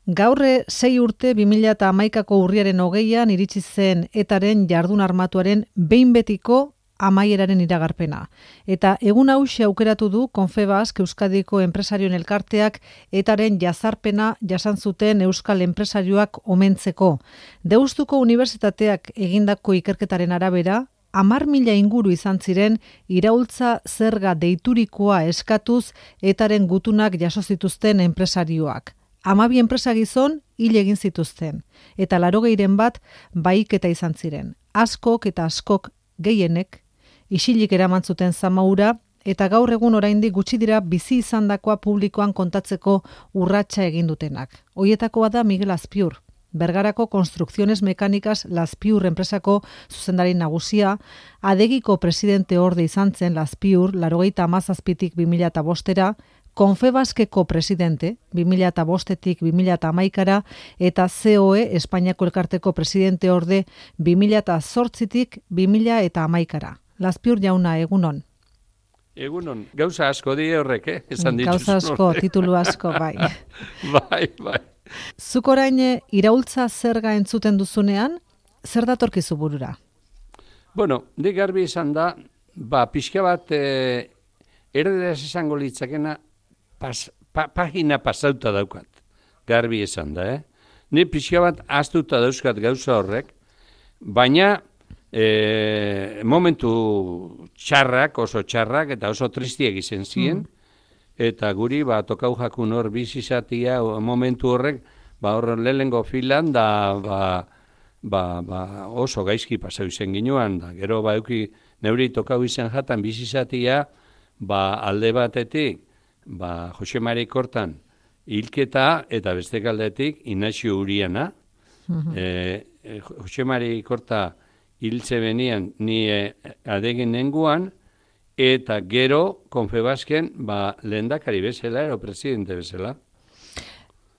Gaurre 6 urte 2011ko urriaren 20an iritsi zen ETAren jardun armatuaren behin betiko amaieraren iragarpena. Eta egun hauxe aukeratu du Confebask Euskadiko enpresarioen elkarteak ETAren jazarpena jasan zuten euskal enpresarioak omentzeko. Deustuko Unibertsitateak egindako ikerketaren arabera, 10.000 inguru izan ziren iraultza zerga deiturikoa eskatuz ETAren gutunak jaso zituzten enpresarioak. 12 enpresa gizon hil egin zituzten, eta 80 bat bahiketa izan ziren. Askok eta askok gehienek isilik eraman zuten zamaura, eta gaur egun oraindik gutxi dira bizi izandakoa publikoan kontatzeko urratsa egin dutenak. Hoietakoa da Miguel Azpiur, Bergarako Konstrukziones Mekanikaz Lazpiur enpresako zuzendari nagusia, Adegiko presidente orde izan zen Lazpiur 97tik 2005era, Confebaskeko presidente 2005tik 2011ra eta COE Espainiako elkarteko presidente orde 2008tik 2011ra. Lazpiur jauna, egunon. Egunon, gauza asko di horrek, esan dituzu. Gauza asko, titulu asko, bai. Bai. Zuk orain iraultza zerga entzuten duzunean, zer datorkizu burura? Bueno, nik garbi izan da, pixka bat erderaz izango litzakena pagina pasauta daukat. Garbi izan da, Ni pixka bat ahaztuta dauzkat gauza horrek, baina momentu txarrak, oso txarrak, eta oso tristiak izan ziren, eta guri tokau jakun hor bizizatia momentu horrek, hor lehengo filan, da oso gaizki pasau izen ginuan, da gero euki neuri tokau izan jatan bizizatia, alde batetik, Jose Mari Kortan hilketa, eta beste aldetik Inaxio Uriana. Jose Mari Korta hiltze benian ni adegin nenguan, eta gero Confebasken lehendakari bezala, ero presidente bezala.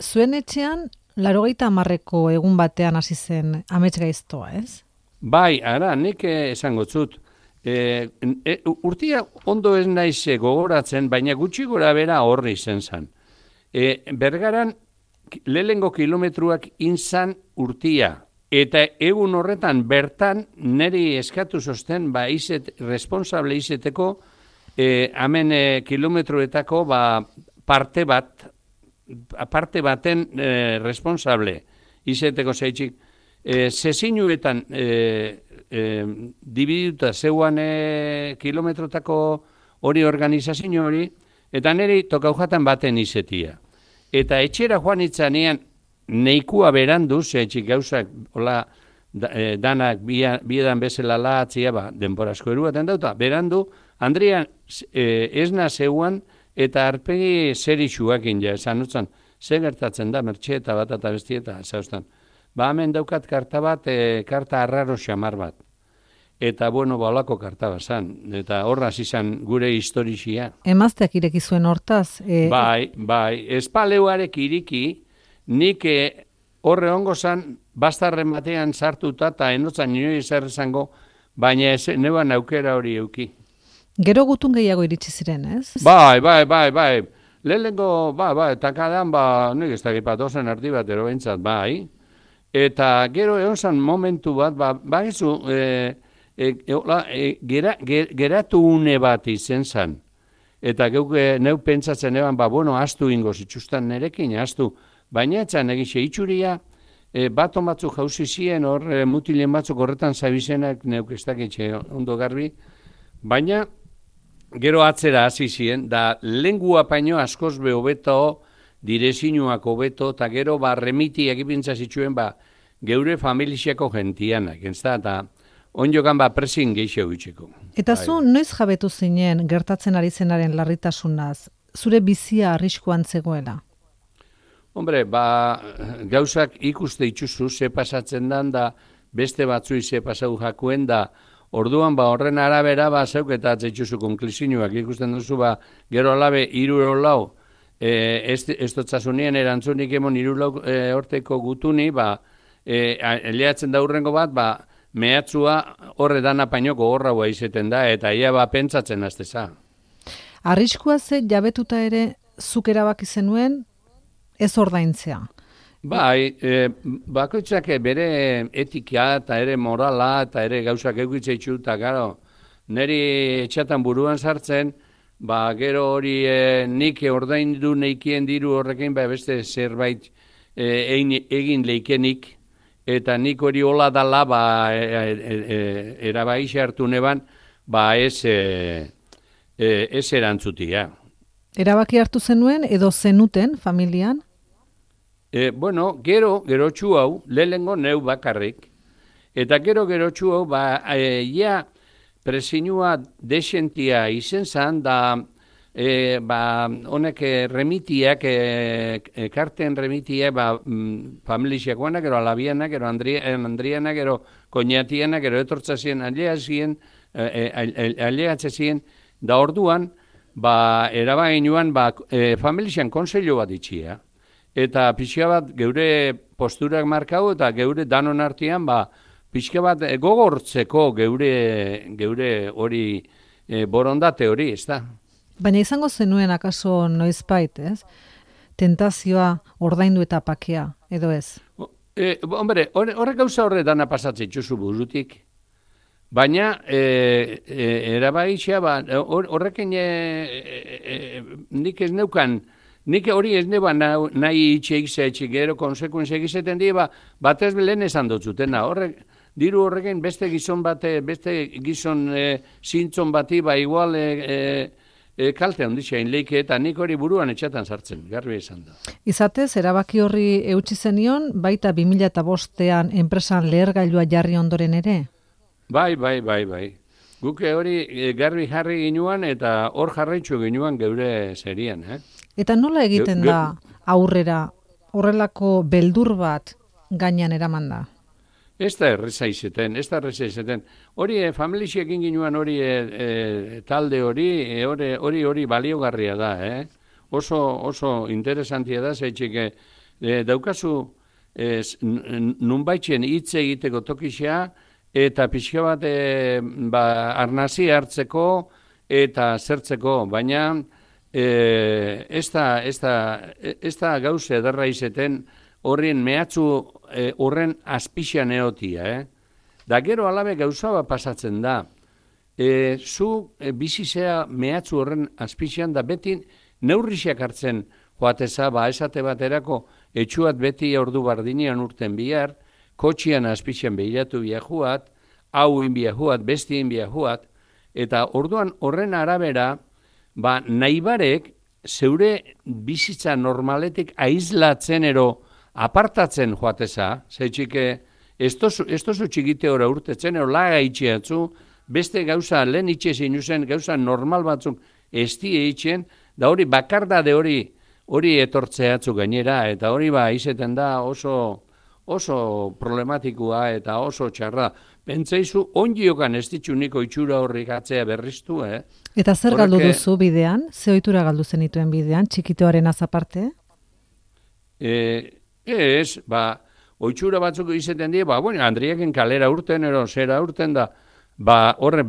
Zuen etxean, 80ko egun batean hasi zen amets gaiztoa, ez? Bai, ara, nik esango zut. Urtia ondo ez naiz gogoratzen, baina gutxi gora bera horri izen zan. Bergaran lehengo kilometruak inzan urtia, eta egun horretan bertan neri eskatu zosten responsable izeteko hemen kilometruetako parte baten responsable izeteko zaitxik. Zezinuetan dibiduta zeuan kilometrotako hori organizazio hori, eta niri tokaujatan baten izetia. Eta etxera joan itzanean neikua berandu, zeitxik gauzak danak biedan bezala lahatzia, denborazko eruaten dauta, berandu, Andrian esna zeuan eta arpegi zer isuakin esan utzan, ze gertatzen da, mertxe bat eta bestieta, zauztan. Hemen daukat karta bat, karta arraro xamar bat. Eta, olako karta bat zan. Eta horraz izan gure historizia. Emazteak ireki zuen hortaz? Bai. Espaleuarek iriki, nik horre ongo zan, bastarren batean sartuta, eta enotzan nire zer esango, baina neuan aukera hori euki. Gero gutun gehiago iritsi ziren, ez? Bai. Lehenengo, eta kadan, nik ez dakipat ozen arti bat erobentzat, bai. Eta gero egon zan momentu bat, geratu une bat izen zan. Eta neu pentsatzen eban, astu ingo zitsustan nerekin, astu. Baina etzan egixe itxuria, baton batzuk jauzi ziren, hor mutilen batzuk horretan zabizenak neuk ez dakitxe ondo garbi. Baina gero atzera hasi ziren, da lengua paino askoz be hobeto, direzinuak hobeto, eta gero remiti egipintza zituen geure familiziako gentianak, eta onjokan presin geixo gutxeko. Eta zu noiz jabetu zinen gertatzen ari zenaren larritasunaz, zure bizia arriskuan zegoela? Hombre, gauzak ikuste itxuzu, ze pasatzen dan, da beste batzui ze pasau jakuen, da orduan horren arabera zeuk eta atzeitxuzu konklusinuak ikusten duzu, gero alabe 3 lau, ez dotzazunien erantzunik emon 3 lau horteko gutuni, eleatzen da hurrengo bat, mehatzua horre dana painoko horraua izeten da, eta ia pentsatzen azteza. Arriskua ze jabetuta ere zuk erabaki zenuen ez ordaintzea. Bai, bakoitzak bere etika eta ere morala eta ere gauzak eukitza itxu, eta gero, niri etxatan buruan sartzen, gero hori nik ordaindu neikien diru horrekin, beste zerbait egin leikenik, eta nik hori hola dala, erabaixi hartu neban, ez erantzutia. Erabaki hartu zenuen edo zenuten familian? Bueno, gero txu hau, lehengo neu bakarrik, eta gero txu hau, ja presinua desentia izen zan, da honek remitiak, karten remitiak, familiak guanak, gero alabianak, gero Andrianak, gero koñatianak, gero etortzazien, aleatzazien, da orduan, erabainuan, familian konseilo bat itxia. Eta pixka bat geure posturak markau eta geure danon artean pixka bat gogortzeko geure hori borondate hori, ez da? Baina izango zenuen akaso noizbait, ez? Tentazioa ordaindu eta pakea, edo ez? Hombre, horrek gauza horretana pasatzen txuzu burutik. Baina, erabaixia, horrekin nik ez neukan, nik hori ez neba nahi itxeik gero konsekuenziak izeten die, batez lehen esan dutzutena. Diru horrekin beste gizon bate, beste gizon zintzon bati, igual kalte handitxein leike, eta nik hori buruan etxatan sartzen, garbi esan da. Izatez, erabaki horri eutsi zenion, baita 2005an enpresan lehergailua jarri ondoren ere? Bai. Guke hori garbi jarri ginuan eta hor jarraitzu ginuan geure serian, Eta nola egiten da aurrera horrelako beldur bat gainean eraman da? Ez da erreza izeten. Hori familixekin ginuan hori talde hori baliogarria da, Oso interesantia da, zeitxik daukazu nunbaitzen hitz egiteko tokixea, eta pixka bat arnazi hartzeko eta zertzeko, baina ez da gauze ederra izeten horren mehatzu horren azpixan eotia. Da gero alabe gauza bat pasatzen da. Zu bizizea mehatzu horren azpixan da beti neurrixak hartzen joateza, esate baterako etxuat beti ordu bardinean urten bihar, kotxian azpixan behiratu biajuat, hau inbiajuat, besti inbiajuat, eta orduan horren arabera, nahibarek zeure bizitza normaletik aizlatzen ero apartatzen joateza, zeitxike ez tozu txikite ora urtetzen, ero laga itxiatzu, beste gauza lehen itxezin uzen, gauza normal batzuk ez die itxen, da hori bakardade hori etortzeatzu gainera, eta hori izeten da oso problematikoa eta oso txarra. Pentsaizu, ondiokan ez ditxuniko itxura horrik atzea berriztu, Eta zer galdu duzu bidean? Ze ohitura galdu zenituen bidean, txikitoaren azaparte? Ez, ohitura batzuk izeten die, Andriaken kalera urten, zera urten da, horre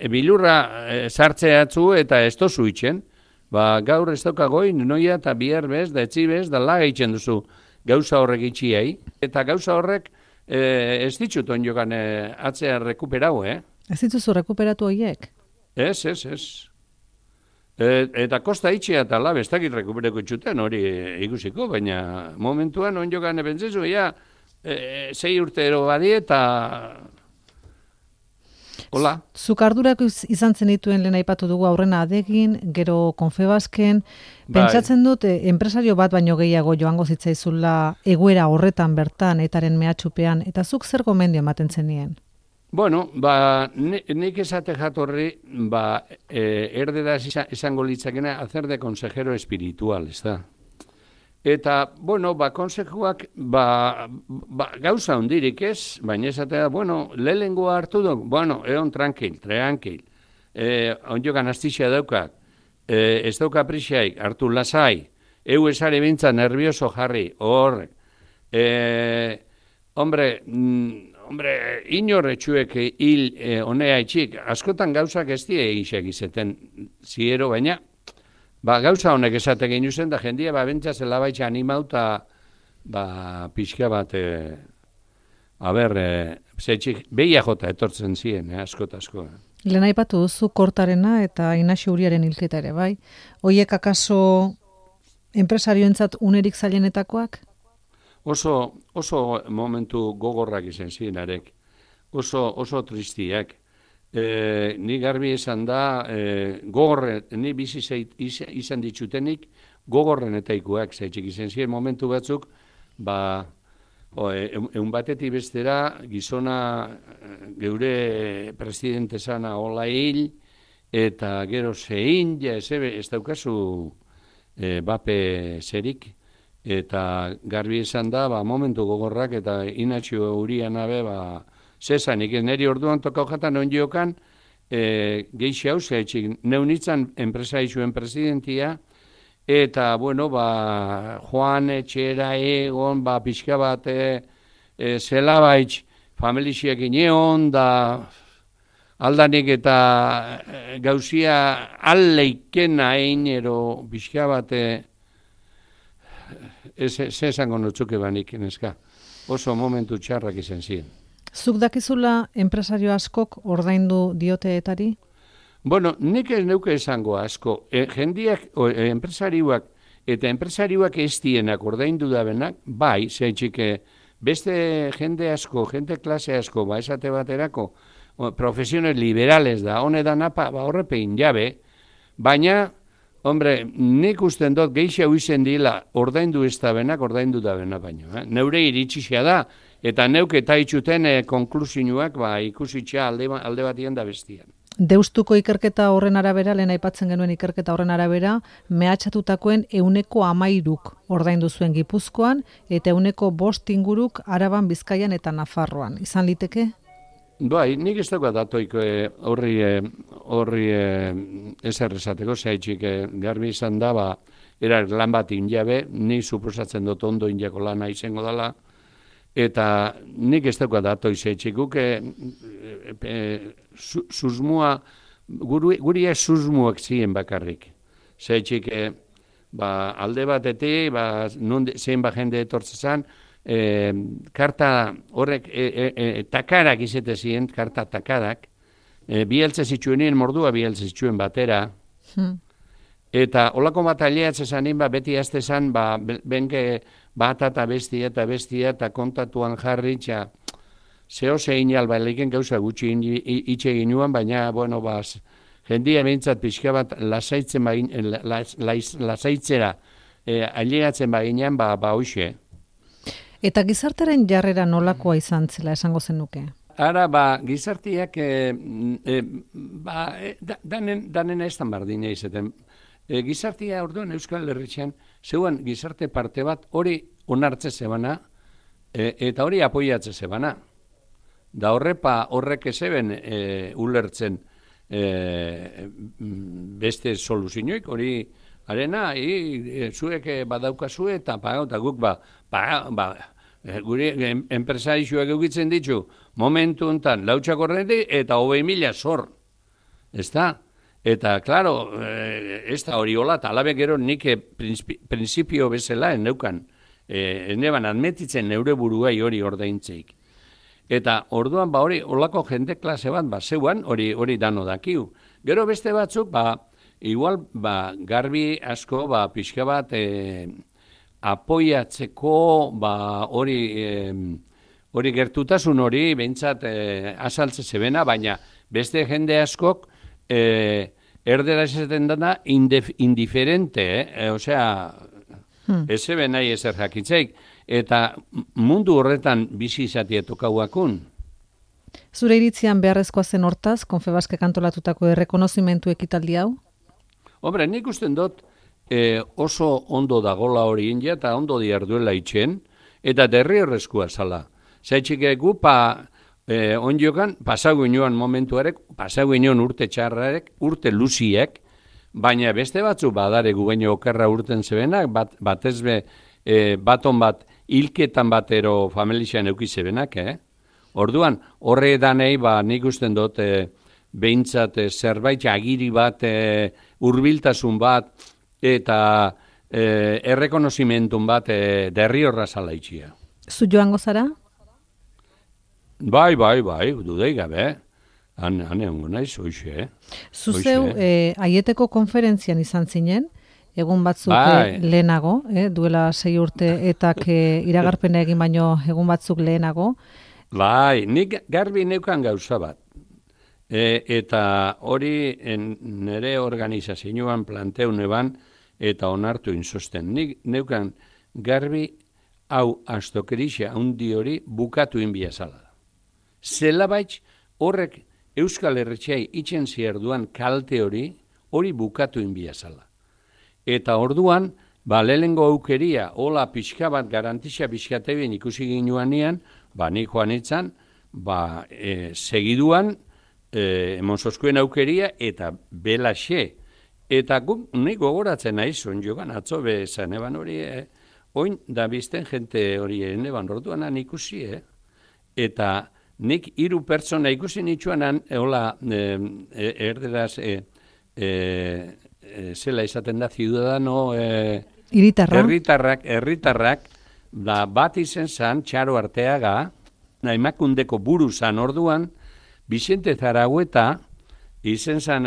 bilurra sartzeatzu eta ez tozu itxen, gaur ez daukagoin, noia eta bihar bez, da etzi bez, da laga itxen duzu gauza horrek itxiai, eta gauza horrek ez ditut onjokan atzea rekuperau, Ez dituzu rekuperatu horiek? Ez. Eta kosta itxea eta la bestakit rekupereko itxuten hori ikusiko, baina momentuan onjokan ebentzezu, 6 urtero badie eta hola. Zuk ardurak izan zen dituen lehen aipatu dugu aurrena adegin, gero Confebasken, pentsatzen dut enpresario bat baino gehiago joango zitzaizula egoera horretan bertan etaren mehatxupean, eta zuk zer gomendio ematen zenien? Bueno, nik esate jatorri, erdera esango litzakena hacer de consejero espiritual, ez da. Eta, konsejuak, gauza hondirik ez, baina esatea, lehengoa hartu duk, egon tranquil. Onjokan astixia daukat, ez dauka prisiaik, hartu lasai, esare bintza nervioso jarri, horrek. Hombre, inorretxuek hil honea itxik, askotan gauzak ez die egizek izeten ziero, baina, gauza honek esate gehiuzen, da jendia bentsaz elabaitza animauta pixka bat, behia jota etortzen ziren, asko. Lehen aipatu duzu Kortarena eta Inaxio Uriaren hilketa ere, bai? Hoiek akaso enpresarioentzat unerik zailenetakoak? Oso momentu gogorrak izan ziren arek, oso tristiak. Ni garbi esan da, ni bizi izan ditzutenik gogorrenetaikoak, zaitxik izan ziren momentu batzuk, egun batetik bestera, gizona geure presidente zana hola hil, eta gero zein, ez daukazu bape zerik, eta garbi esan da, momentu gogorrak, eta Inaxio Urian abe, zezanik, neri orduan tokau jatan on jokan, geixi hau zehatxik, neunitzan enpresaizuen presidentia, eta, Joan etxera egon, pixka bat, zelabaitz, familixiak ineon, da aldanik eta gauzia alleikena ero pixka bat, esango notzuke banik, neska. Oso momentu txarrak izan ziren. Zuk dakizula enpresario askok ordaindu dioteetari? Nik ez neuke esango asko. Jendiak, enpresariuak eta enpresariuak ez dienak ordaindu dabenak, bai, zeitxik beste jende asko, jende klase asko, esate baterako, profesiones liberales da, honetan horrepein jabe, baina, nik usten dut geixa huizen dila ordaindu ez dabenak, ordaindu dabenak baino. Neure iritsixea da, eta neuke eta itxuten konklusioak ikusitxea alde batien da bestian. Deustuko ikerketa horren arabera, lehen aipatzen genuen ikerketa horren arabera, mehatxatutakoen 13% ordaindu zuen Gipuzkoan, eta 5% inguruk Araban, Bizkaian eta Nafarroan. Izan liteke? Bai, nik ez dauka datoik horri ezer esateko, zaitxik garbi izan da, erar lan bat injabe, nik suposatzen dut ondo injako lana izango dela, eta nik ez dauka datoi zaitxik, guk susmua, guria susmuak ziren bakarrik. Zaitxik, alde batetik, zein jende etortzezan, karta horrek, takarak izete ziren, karta takarak, bieltze zitsuenien mordua bieltze zituen batera, eta olako bat aliatzezan beti aztezan, benke bat eta bestia eta kontatuan jarri, zeo zein alba leiken gauza gutxi itxe ginuan, baina, jendia behintzat pixka bat lasaitzera aliatzen baginean, hoxe. Eta gizartaren jarrera nolakoa izan zela esango zenuke? Ara, gizartiak danen ez tan bardina izaten. Gizartia orduan Euskal Herritxean, zeuan gizarte parte bat hori onartze zebana eta hori apoiatze zebana. Da horrek ezeben ulertzen beste soluzioik, hori arena, zuek badaukazu eta guk gure enpresarixuak eukitzen ditu momentu enten lautxak horretik eta 20.000 zor. Ez da? Eta, klaro, ez da hori hola, eta alabe gero nik prinsipio bezala enneukan. Eneban admetitzen neure buruai hori ordaintzeik. Eta orduan hori holako jende klase bat zeuan hori dano dakiu. Gero beste batzuk, igual garbi asko pixka bat apoiatzeko hori gertutasun hori behintzat azaltze zebena, baina beste jende askok erdera esaten dana indiferente, osea, ez zeben nahi ezer jakitzeik, eta mundu horretan bizi izatea tokauakun. Zure iritzian beharrezkoa zen hortaz, Confebaskek antolatutako errekonozimentu ekitaldi hau? Hombre, nik usten dut oso ondo dagola hori india eta ondo diarduela itxen, eta derriorrezkoa zala. Zaitxik egu, ondiokan, pasago inoan momentuarek, pasago inoan urte txarrarek, urte luziek, baina beste batzu badaregu baino okerra urten zebenak, batezbe baton bat hilketan batero familixan eukizebenak, Orduan, horre danei, nik usten dut, behintzat zerbait agiri bat, hurbiltasun bat, eta errekonozimentun bat derri horra zala itxia. Zu joango zara? Bai, dudei gabe. Han egongo naiz, hoxe. Zuzeu, aieteko konferentzian izan zinen, egun batzuk lehenago, duela 6 urte etak iragarpena egin baino egun batzuk lehenago. Bai, nik garbi neukan gauza bat. Eta hori nire organizazioan planteu neban eta onartu inzosten. Nik neukan garbi hau astokerixia handi hori bukatu inbia zala. Zelabaitz horrek Euskal Herretxeai itxen zierduan kalte hori bukatu inbia zala. Eta orduan, lehenengo aukeria, hola pixka bat, garantizia pixkatebien ikusi ginuan nian, nik joan itzan, segiduan, emonsoskuen aukeria, eta belaxe. Eta nik gogoratzen naiz, joan atzo bezan, eban hori, oin da bizten jente hori, eban orduan ikusi, eta nik 3 pertsona ikusi nitsuanan, hola, erderaz, zela izaten da, ciudadano, herritarrak, bat izen zan, Txaro Arteaga, Emakundeko buru zan orduan, Vicente Zaragoeta, izen zan,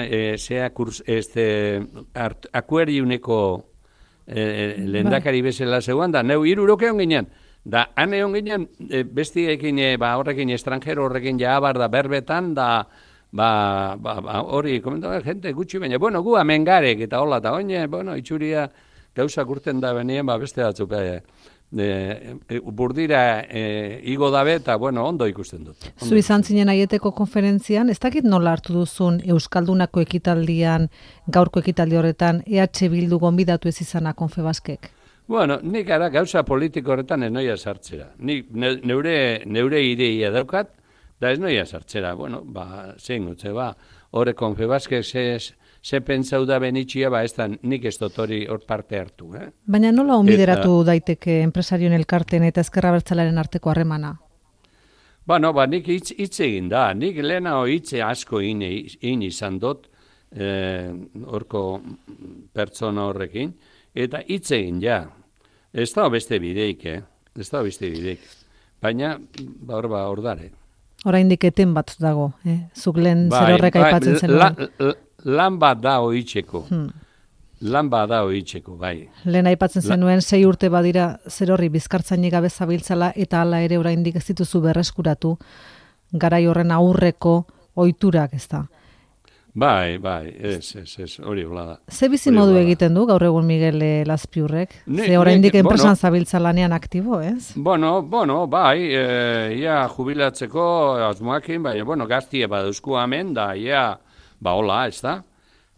akuariuneko lehendakari bezala zeuan, da, neu 3 uroke hon ginen, da, han egon ginen, bestiekin, horrekin, estrangero horrekin jabar da, berbetan, da, hori, komentaba, gente gutxi baina, bueno, gu amengarek, eta hola, eta oine, bueno, itxuria gauza kurten da benien, beste batzuk, burdira igo dabe, eta, bueno, ondo ikusten dut. Zu izan zinen aieteko konferentzian, ez dakit nola hartu duzun Euskaldunako ekitaldian, gaurko ekitaldi horretan, EH Bildu gonbidatu ez izana Confebaskek? Bueno, nik ara gauza politiko horretan ez noia sartzera. Nik neure ideia daukat, da ez noia sartzera. Bueno, zein gutze, horre Confebaskek ze pentsau da benitxia, ez da nik ez dut hori hor parte hartu. Baina nola onbideratu daiteke enpresarioen elkarten eta ezkerra abertzalearen arteko harremana? Bueno, nik hitz egin da. Nik lehenago hitze asko egin izan dut, horko pertsona horrekin, eta hitz egin ja. Ez da beste bideik, Baina, hor dare. Oraindik eten bat dago, Zuk lehen zer horrek aipatzen zenuen. Lan bat da hoitzeko. Bai. Lehen aipatzen zenuen 6 urte badira zer horri bizkartzainik gabe zabiltzala eta hala ere oraindik ez dituzu berreskuratu garai horren aurreko ohiturak, ezta. Bai, ez, hori hola da. Ze bizi modu egiten du gaur egun Miguel Lazpiurrek? Ze oraindik enpresan zabiltzalanean aktibo, ez? Bueno, bai, ia jubilatzeko asmoakin, baina, gaztie badauzku hemen, da, ia, hola, ez da?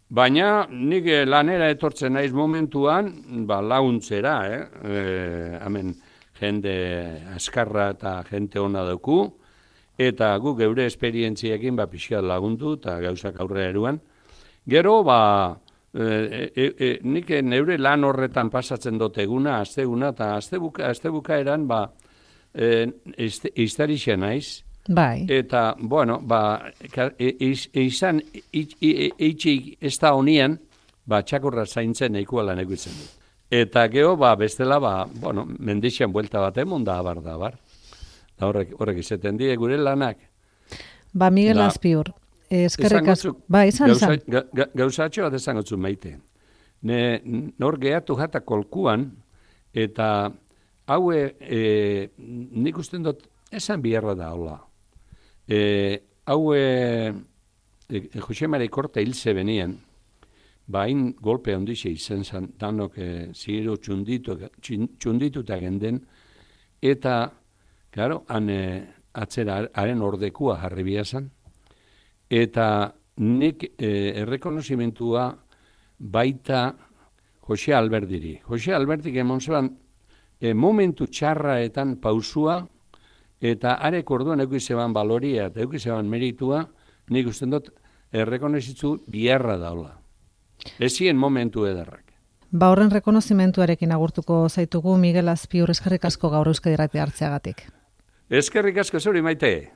Baina, nik lanera etortzen naiz momentuan, laguntzera, hemen jende askarra eta jente ona dauku, eta guk geure esperientziekin pixka lagundu eta gauzak aurrera eruan. Gero, nik neure lan horretan pasatzen dut eguna, asteguna, eta astebukaeran iztarixia naiz. Bai. Eta, bueno, izan eitxik ez da honian, txakurra zaintzen eikua lan eguitzen dut. Eta gero, bestela, mendixan buelta bat emon da, abar. Horrek izaten die gure lanak. Miguel Lazpiur, eskerrik asko. Izan. Gauzatxo bat esan gotzu maite. Nor gehatu jata kolkuan, eta haue nik usten dut esan biherra da, hola. Haue Jose Mari Korta hilze benien, hain golpe handixe izan zan, danok ziru txundituta genden, eta claro, atzera haren ordekua jarri biazan, eta nik errekonozimentua baita Jose Alberdiri. Jose Alberdik emon zeban momentu txarraetan pausua, eta arek orduan eukizeban baloria eta eukizeban meritua, nik usten dut errekonozitzu biharra daula. Ezien momentu ederrak. Horren rekonozimentuarekin agurtuko zaitugu Miguel Lazpiur, eskerrik asko gaur Euskadi Irratia hartzeagatik. Eskerrik asko zuri maite.